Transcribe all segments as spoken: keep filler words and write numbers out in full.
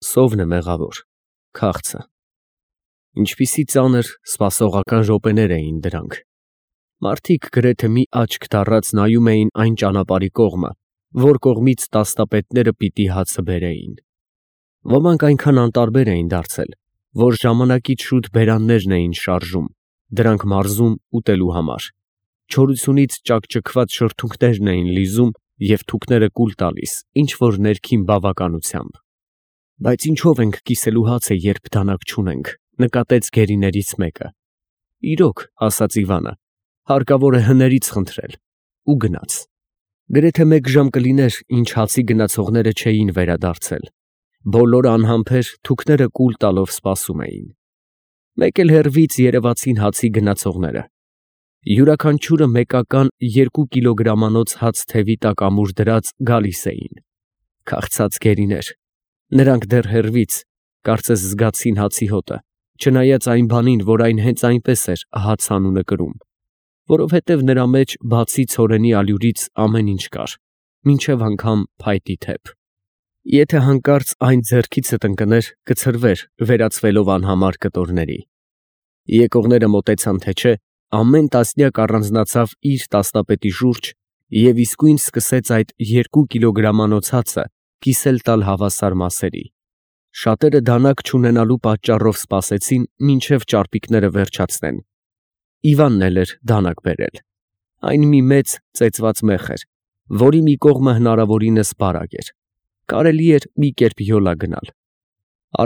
Սովն է մեղավոր, քաղցը։ Ինչպիսի ծանր, սպասողական րոպեներ էին դրանք։ Մարդիկ գրեթե մի աչք դառած նայում էին այն ճանապարհի կողմը, որ կողմից տասնապետները պիտի հացը բերեին։ Ոմանք այնքան անտարբեր էին դարձել, որ ժամանակից շուտ բերաններն էին շարժում, դրանք մարզում ուտելու համար։ Չորությունից ճաքճքված շրթունքներն էին լիզում և թուքները կուլ տալիս ինչ-որ ներքին բավականությամբ։ Բայց ինչով ենք կիսելու հացը, երբ դանակ չունենք, նկատեց գերիներից մեկը։ Իրոք, ասաց Իվանը, հարկավոր է հներից խնդրել, ու գնաց։ Գրեթե մեկ ժամ կլիներ, ինչ հացի գնացողները չէին վերադարձել։ Բոլորը անհամբեր թուքները կուլ տալով սպասում էին։ Մեկ էլ հեռվից երևացին հացի գնացողները։ Յուրաքանչյուրը մեկական երկու կիլոգրամանոց հաց թևի տակ ամուր դրած գալիս էին։ Քաղցած գերիներ։ Նրանք դեռ հեռվից, կարծես զգացին հացի հոտը, չնայած այն բանին, որ այն հենց այնպես էր հաց անունը կրում, որովհետև նրա մեջ բացի ցորենի ալյուրից ամեն ինչ կար, մինչև անգամ փայտի թեփ։ Եթե հանկարծ այն ձեռքիցդ ընկներ, կցրվեր, վերածվելով անհամար կտորների։ Եկողները մոտեցան թե չէ, ամեն տասնյակ առանձնացավ իր տասնապետի շուրջ և իսկույն սկսեց այդ երկու կիլոգրամանոց հացը կիսել տալ հավասար մասերի։ Շատերը դանակ չունենալու պատճառով սպասեցին, մինչև ճարպիկները վերջացնեն։ Իվանն էլ էր դանակ բերել։ Այն մի մեծ ծեծված մեխ էր, որի մի կողմը հնարավորինս բարակ էր։ Կարելի էր մի կերպ յոլա գնալ։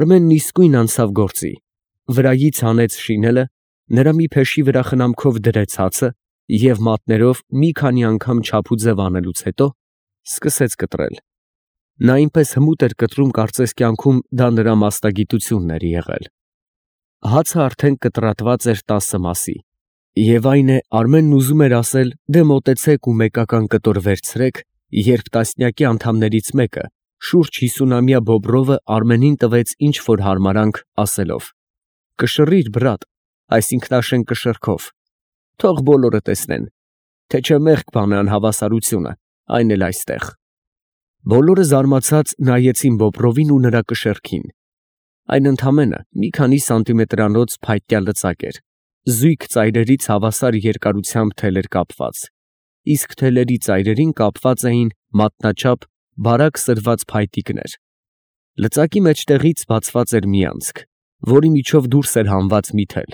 Արմենն իսկույն անցավ գործի, վրայից հանեց շինելը, նրա մի փեշի վրա խնամքով դրեց հացը և մատներով մի քանի անգամ չափուձև անելուց հետո սկսեց կտրել։ Նա այնպես հմուտ էր կտրում, կարծես կյանքում դա նրա մասնագիտությունն էր եղել։ Հացը արդեն կտրատված էր տասը մասի, և այն է, Արմենն ուզում էր ասել, դե մոտեցեք ու մեկական կտոր վերցրեք, երբ տասնյակի անդամներից մեկը, շուրջ հիսունամյա Բոբրովը Արմենին տվեց ինչ-որ հարմարանք, ասելով. «Կշռիր, բռատ, այս ինքնաշեն կշռքով, թող բոլորը տեսնեն, թե չէ մեղք բան է անհավասարությունը, այն էլ այստեղ»։ Բոլորը զարմացած նայեցին Բոբրովին ու նրա կշեռքին։ Այն ընդամենը մի քանի սանտիմետրանոց փայտյա լծակ էր, զույգ ծայրերից հավասար երկարությամբ թելեր կապված, իսկ թելերի ծայրերին կապված էին մատնաչափ բարակ սրված փայտիկներ։ Լծակի մեջտեղից բացված էր մի անցք, որի միջով դուրս էր հանված մի թել։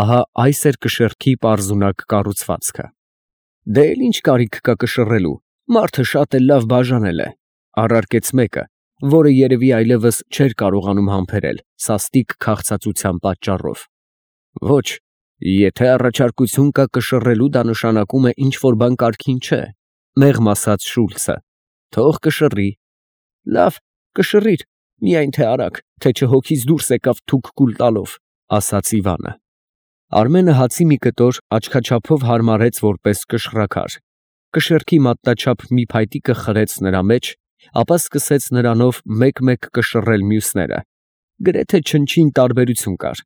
Ահա այս էր կշեռքի պարզունակ կառուցվածքը։ Դե էլ ինչ կարիք կա կշռելու, մարդը շատ էլ լավ բաժանել է, առարկեց մեկը, որը երևի այլևս չէր կարողանում համբերել սաստիկ քաղցածության պատճառով։ Ոչ, եթե առաջարկություն կա կշռելու, դա նշանակում է ինչ-որ բան կարգին չէ, մեղմ ասաց Շուլցը, թող կշռի։ Լավ, կշռիր, միայն թե արագ, թե չէ հոգիս դուրս եկավ թուք կուլ տալով, ասաց Իվանը։ Արմենը հացի մի կտոր աչքաչափով հարմարեց որպես կշռաքար, կշեռքի մատնաչափ մի փայտիկը խրեց նրա մեջ, ապա սկսեց նրանով մեկ-մեկ կշռել մյուսները։ Գրեթե չնչին տարբերություն կար,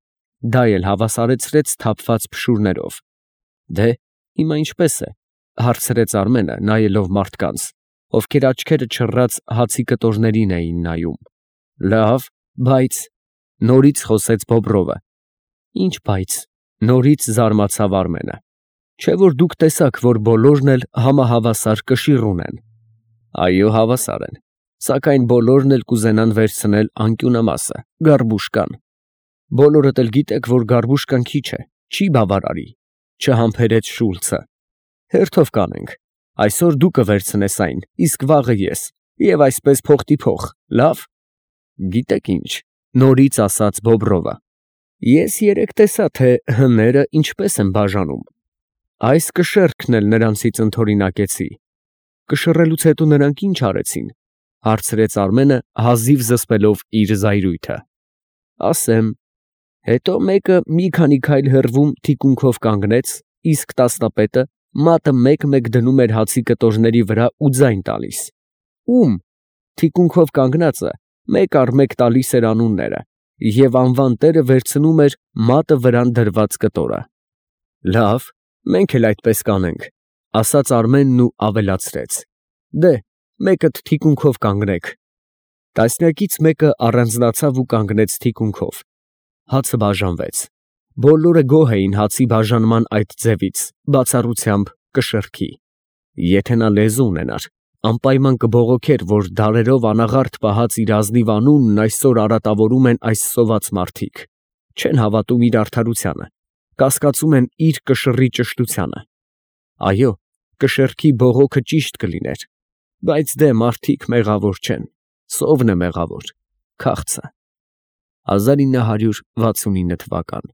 դա էլ հավասարեցրեց թափված փշուրներով։ Դե, հիմա ինչպես է, հարցրեց Արմենը, նայելով մարդկանց, ովքեր աչքերը չռած հացի կտորներին էին նայում։ Լավ, բայց, նորից խոսեց Բոբրովը։ Ինչ բայց, նորից զարմացավ Արմենը։ Չէ՞ որ դուք տեսաք, որ բոլորն էլ համահավասար կշիռ ունեն։ Այո, հավասար են, սակայն բոլորն էլ կուզենան վերցնել անկյունամասը, գարբուշկան։ Բոլորդ էլ գիտեք, որ գարբուշկան քիչ է, չի բավարարի, չհամբերեց Շուլցը։ Հերթով կանենք, այսօր դու կվերցնես այն, իսկ վաղը ես, և այսպես փոխտիփոխ, լավ։ Գիտեք ինչ, նորից ասաց Բոբրովը։ Ես երեկ տեսա, թե հները ինչպես են բաժանում։ Այս կշեռքն էլ նրանցից ընդօրինակեցի։ Կշռելուց հետո նրանք ինչ արեցին, հարցրեց Արմենը, հազիվ զսպելով իր զայրույթը։ Ասեմ։ Հետո մեկը մի քանի քայլ հեռվում թիկունքով կանգնեց, իսկ տասնապետը մատը մեկ֊մեկ դնում էր հացի կտորների վրա ու ձայն տալիս։ Ում։ Թիկունքով կանգնածը մեկ առ մեկ տալիս էր անունները, և անվան տերը վերցնում էր մատը վրան դրված կտորը։ Լավ, մենք էլ այդպես կանենք, ասաց Արմենն ու ավելացրեց. Դե, մեկդ թիկունքով կանգնեք։ Տասնյակից մեկը առանձնացավ ու կանգնեց թիկունքով, հացը բաժանվեց, բոլորը գոհ էին հացի բաժանման այդ ձևից, բացառությամբ կշեռքի. եթե նա լեզու ունենար, անպայման կբողոքեր, որ դարերով անաղարտ պահած իր ազնիվ անունն այսօր արատավորում են այս սոված մարդիկ, չեն հավատում իր արդարությանը, կասկածում են իր կշռի ճշտությանը. այո, կշեռքի բողոքը ճիշտ կլիներ, բայց դե մարդիկ մեղավոր չեն, սովն է մեղավոր, քաղցը։ հազար ինը հարյուր վաթսունինը թվական։